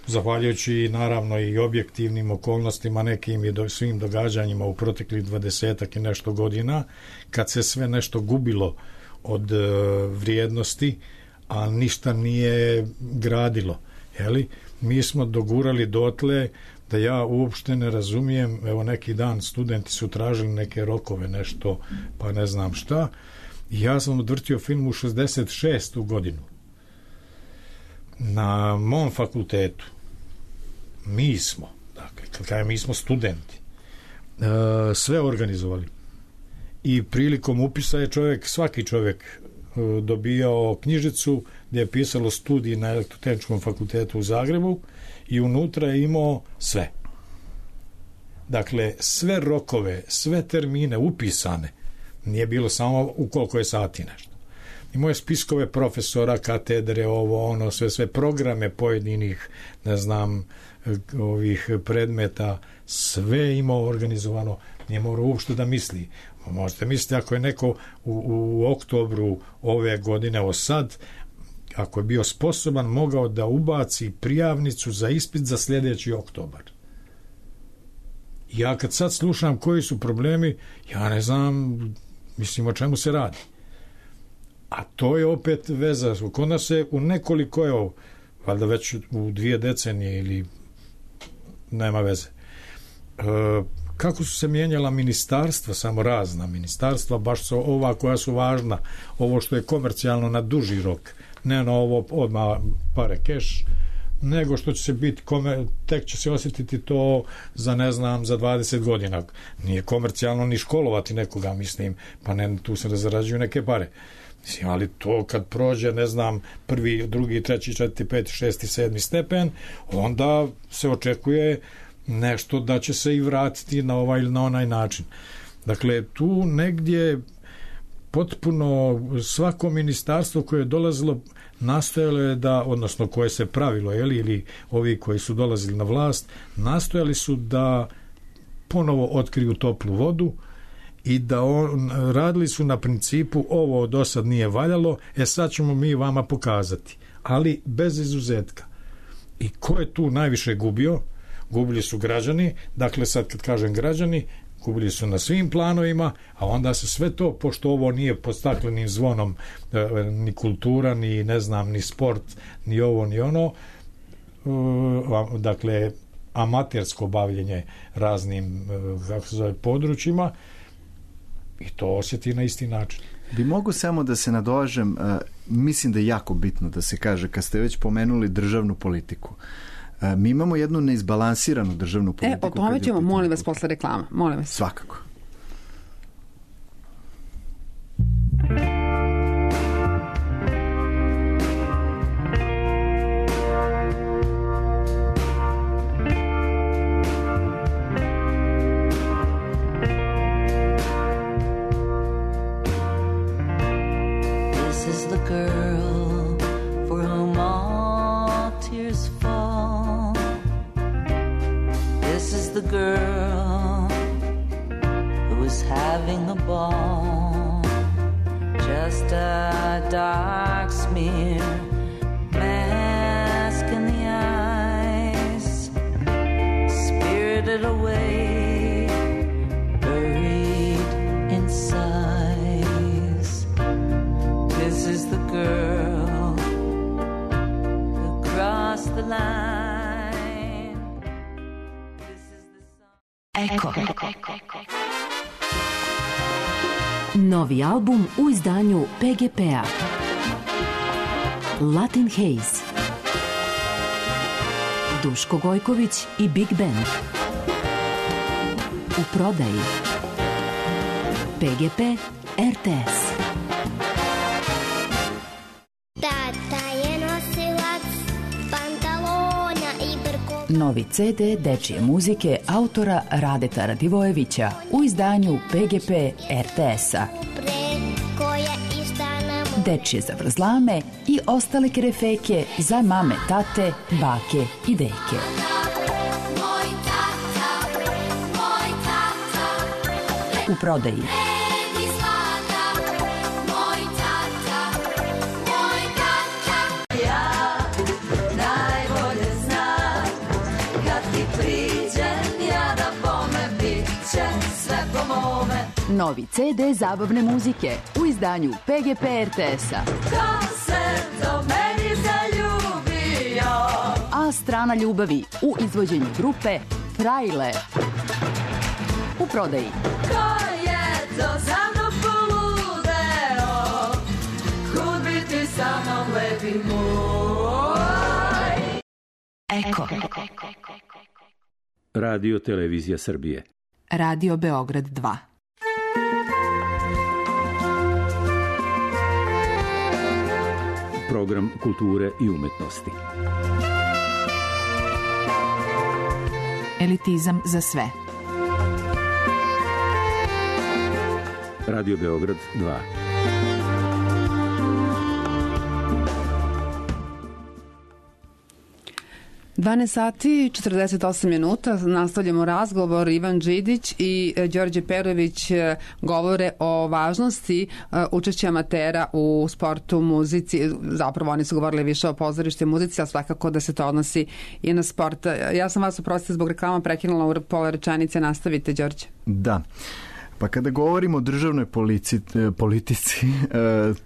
zahvaljujući naravno i objektivnim okolnostima, nekim i svim događanjima u proteklih 20 i nešto godina, kad se sve nešto gubilo od vrijednosti, a ništa nije gradilo, jeli? Mi smo dogurali dotle da ja uopšte ne razumijem, evo neki dan studenti su tražili neke rokove, nešto, pa ne znam šta, i ja sam odvrtio film u 66. godinu. Na mom fakultetu mi smo, dakle, mi smo studenti, sve organizovali. I prilikom upisa je svaki čovjek dobijao knjižicu gdje je pisalo studij na Elektrotehničkom fakultetu u Zagrebu i unutra je imao sve. Dakle, sve rokove, sve termine upisane, nije bilo samo u koliko je sati nešto. Imao je spiskove profesora, katedre, ovo, ono, sve programe pojedinih, ne znam, ovih predmeta, sve imao organizovano, nije morao uopšte da misli. Možete misliti ako je neko u oktobru ove godine, evo sad, ako je bio sposoban, mogao da ubaci prijavnicu za ispit za sljedeći oktobar. Ja kad sad slušam koji su problemi, ja ne znam, mislim o čemu se radi. A to je opet veza. Kod nas se u nekoliko, evo, valjda već u 2 decenije ili nema veze. Kako su se mijenjala ministarstva, samo razna ministarstva, baš su ova koja su važna, ovo što je komercijalno na duži rok, ne na ovo odmah pare keš, nego što će se biti, tek će se osjetiti to za, ne znam, za 20 godina. Nije komercijalno ni školovati nekoga, mislim, pa ne, tu se zarađuju neke pare. Mislim, ali to kad prođe, ne znam, 1., 2., 3., 4., 5., 6., 7. stepen, onda se očekuje nešto da će se i vratiti na ovaj ili na onaj način. Dakle, tu negdje potpuno svako ministarstvo koje je dolazilo nastojalo je da, odnosno koje se pravilo, ili ovi koji su dolazili na vlast, nastojali su da ponovo otkriju toplu vodu i da radili su na principu ovo do sad nije valjalo, sad ćemo mi vama pokazati, ali bez izuzetka. I ko je tu najviše gubio? Gubili su građani, dakle sad kad kažem građani, gubili su na svim planovima, a onda se sve to, pošto ovo nije pod staklenim zvonom ni kultura, ni ne znam, ni sport, ni ovo, ni ono, dakle amatersko bavljenje raznim, kako se zove, područjima, i to osjeti na isti način. Bi mogu samo da se nadovežem, mislim da je jako bitno da se kaže, kad ste već pomenuli državnu politiku, mi imamo jednu neizbalansiranu državnu politiku. O tome ćemo, molim vas, posle reklama. Molim vas. Svakako. The girl who was having a ball, just a dark smear, mask in the eyes, spirited away, buried in sighs. This is the girl who crossed the line. Eko. Novi album u izdanju PGP-a. Latin Haze. Duško Gojković i Big Band. U prodaji. PGP RTS. Novi CD dečije muzike autora Radeta Radivojevića u izdanju PGP RTS-a. Dečije zavrzlame i ostale krefeke za mame, tate, bake i deke. U prodaji. Novi CD zabavne muzike u izdanju PGP RTS-a. Ko se do meni zaljubio? A strana ljubavi u izvođenju grupe Frajle. U prodaji. Ko je to za mnom poludeo? Kud bi ti sa mnom lepi moj? Eko. Radio Televizija Srbije. Radio Beograd 2. Program kulture i umetnosti. Elitizam za sve. Radio Beograd 2. Dvanaest sati 48 minuta, nastavljamo razgovor. Ivan Đidić i Đorđe Perović govore o važnosti učešća amatera u sportu, muzici. Zapravo oni su govorili više o pozorištu i muzici, a svakako da se to odnosi i na sport. Ja sam vas uprostite zbog reklama prekinula u pola rečenice. Nastavite, Đorđe. Da. Pa kada govorimo o državnoj politici,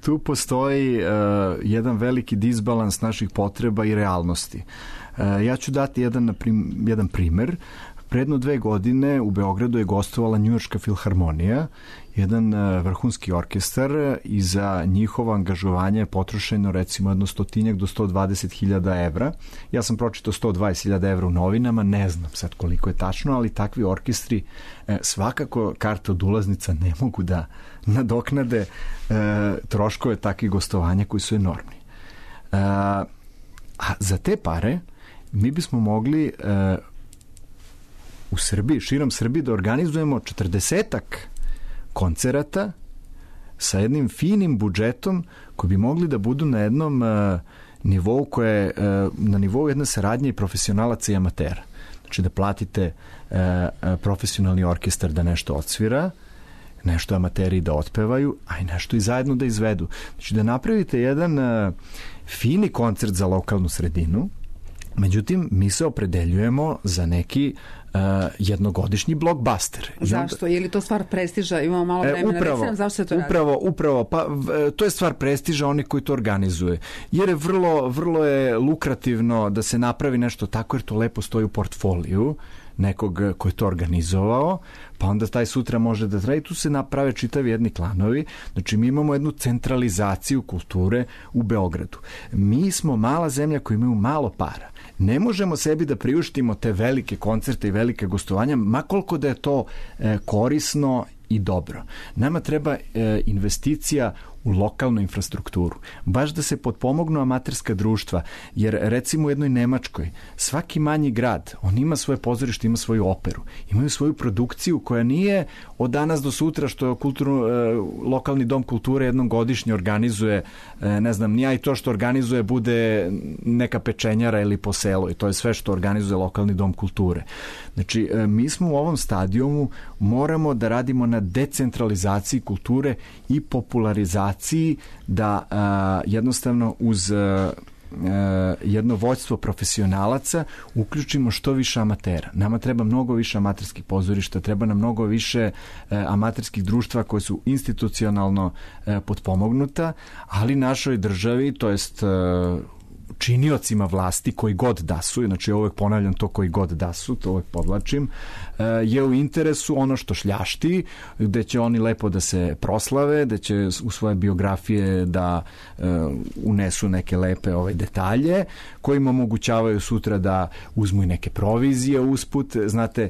tu postoji jedan veliki disbalans naših potreba i realnosti. Ja ću dati jedan primer. Predno 2 godine u Beogradu je gostovala Njujorška filharmonija, jedan vrhunski orkestar, i za njihovo angažovanje je potrošeno recimo jedno 100 do 120.000 evra. Ja sam pročitao 120.000 evra u novinama, ne znam sad koliko je tačno, ali takvi orkestri svakako karte od ulaznica ne mogu da nadoknade troškove takvih gostovanja koji su enormni. A za te pare mi bismo mogli u Srbiji, širom Srbiji, da organizujemo 40-ak koncerata sa jednim finim budžetom koji bi mogli da budu na jednom nivou koje na nivou jedne saradnje i profesionalaca i amatera. Znači da platite profesionalni orkestar da nešto odsvira, nešto amateri da otpevaju, a i nešto i zajedno da izvedu. Znači da napravite jedan fini koncert za lokalnu sredinu. Međutim, mi se opredeljujemo za neki jednogodišnji blockbuster. Zašto? Je li to stvar prestiža? Imamo malo vremena. Recimo, zašto se to radi? Upravo. Pa, to je stvar prestiža oni koji to organizuje. Jer je vrlo je lukrativno da se napravi nešto tako, jer to lepo stoji u portfoliju nekog ko je to organizovao, pa onda taj sutra može da traje i tu se naprave čitavi jedni klanovi. Znači mi imamo jednu centralizaciju kulture u Beogradu. Mi smo mala zemlja koja imaju malo para. Ne možemo sebi da priuštimo te velike koncerte i velike gostovanja, ma koliko da je to korisno i dobro. Nama treba investicija u lokalnu infrastrukturu. Baš da se potpomognu amaterska društva, jer recimo u jednoj Nemačkoj svaki manji grad, on ima svoje pozorište, ima svoju operu, imaju svoju produkciju koja nije od danas do sutra što lokalni dom kulture jednom godišnje organizuje, ne znam, nije i to što organizuje bude neka pečenjara ili po selu i to je sve što organizuje lokalni dom kulture. Znači, mi smo u ovom stadijumu moramo da radimo na decentralizaciji kulture i popularizaciji da jednostavno uz jedno vođstvo profesionalaca uključimo što više amatera. Nama treba mnogo više amaterskih pozorišta, treba nam mnogo više amaterskih društva koje su institucionalno potpomognuta, ali našoj državi, to jest činiocima vlasti koji god da su, znači uvek ponavljam to koji god da su, to uvek podlačim, je u interesu ono što šljašti, gde će oni lepo da se proslave, da će u svoje biografije da unesu neke lepe detalje koji im omogućavaju sutra da uzmu i neke provizije usput. Znate,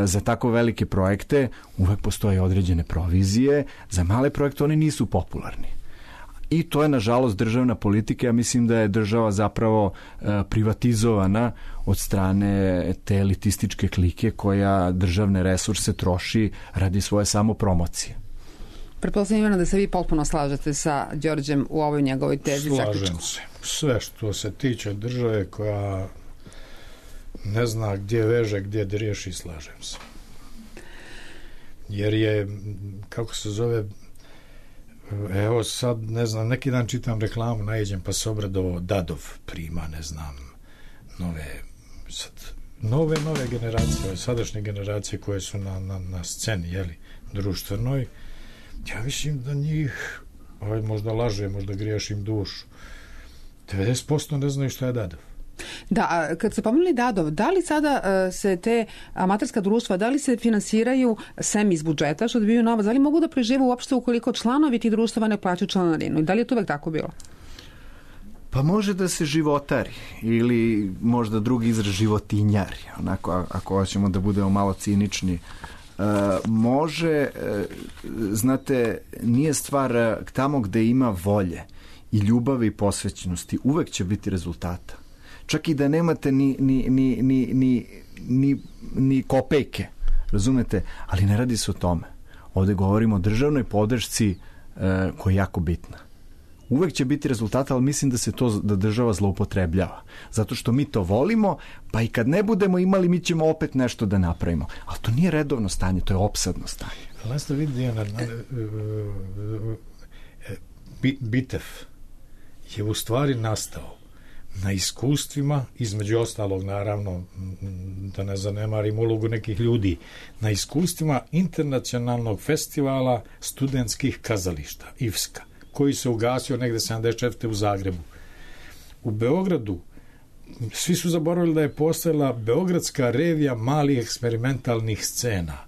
za tako velike projekte uvek postoje određene provizije, za male projekte oni nisu popularni. I to je, nažalost, državna politika. Ja mislim da je država zapravo privatizovana od strane te elitističke klike koja državne resurse troši radi svoje samopromocije. Pretpostavljam da se vi potpuno slažete sa Đorđem u ovoj njegovoj tezi. Slažem se. Sve što se tiče države koja ne zna gdje veže, gdje da riješi, slažem se. Jer je, kako se zove, evo sad, ne znam, neki dan čitam reklamu, najeđem pa se obradovao, Dadov prima, ne znam, nove generacije, sadašnje generacije koje su na sceni, jeli, društvenoj. Ja mislim da njih, možda laže, možda griješim dušu, 90% ne znaju šta je Dadov. Da, kad se pomenuli Dadov, da li sada se te amaterska društva, da li se finansiraju sem iz budžeta što dobiju novac, da li mogu da prežive uopšte ukoliko članovi tih društava ne plaćaju članarinu i da li je to uvek tako bilo? Pa može da se životari ili možda drugi izraz životinjari, onako ako hoćemo da budemo malo cinični. Može, znate, nije stvar tamo gde ima volje i ljubavi i posvećenosti, uvek će biti rezultata. Čak i da nemate ni kopejke, razumete? Ali ne radi se o tome. Ovde govorimo o državnoj podršci koja je jako bitna. Uvek će biti rezultata, ali mislim da se to da država zloupotrebljava. Zato što mi to volimo, pa i kad ne budemo imali, mi ćemo opet nešto da napravimo. Ali to nije redovno stanje, to je opsadno stanje. Ali ste vidi, Bitev je u stvari nastao na iskustvima, između ostalog, naravno, da ne zanemarim ulogu nekih ljudi, na iskustvima internacionalnog festivala studentskih kazališta, IFSKA, koji se ugasio negde 74. u Zagrebu. U Beogradu svi su zaboravili da je postojala Beogradska revija malih eksperimentalnih scena.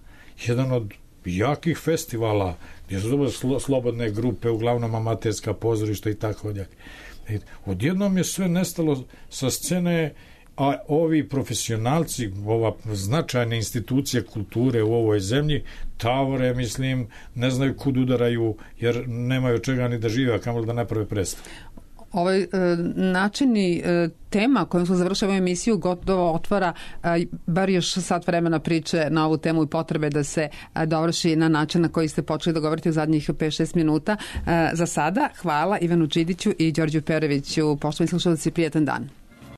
Jedan od jakih festivala, gdje su slobodne grupe, uglavnom amaterska pozorišta i tako dalje. Odjednom je sve nestalo sa scene, a ovi profesionalci, ova značajna institucija kulture u ovoj zemlji, tavore, mislim, ne znaju kud udaraju, jer nemaju čega ni da žive, a kamoli da naprave predstavu. Ovaj načini tema kojom smo završili emisiju gotovo otvara bar još sat vremena priče na ovu temu i potrebe da se dovrši na način na koji ste počeli da govorite u zadnjih 5-6 minuta. Za sada, hvala Ivanu Čidiću i Đorđu Peroviću. Poštovani slušalci, prijetan dan.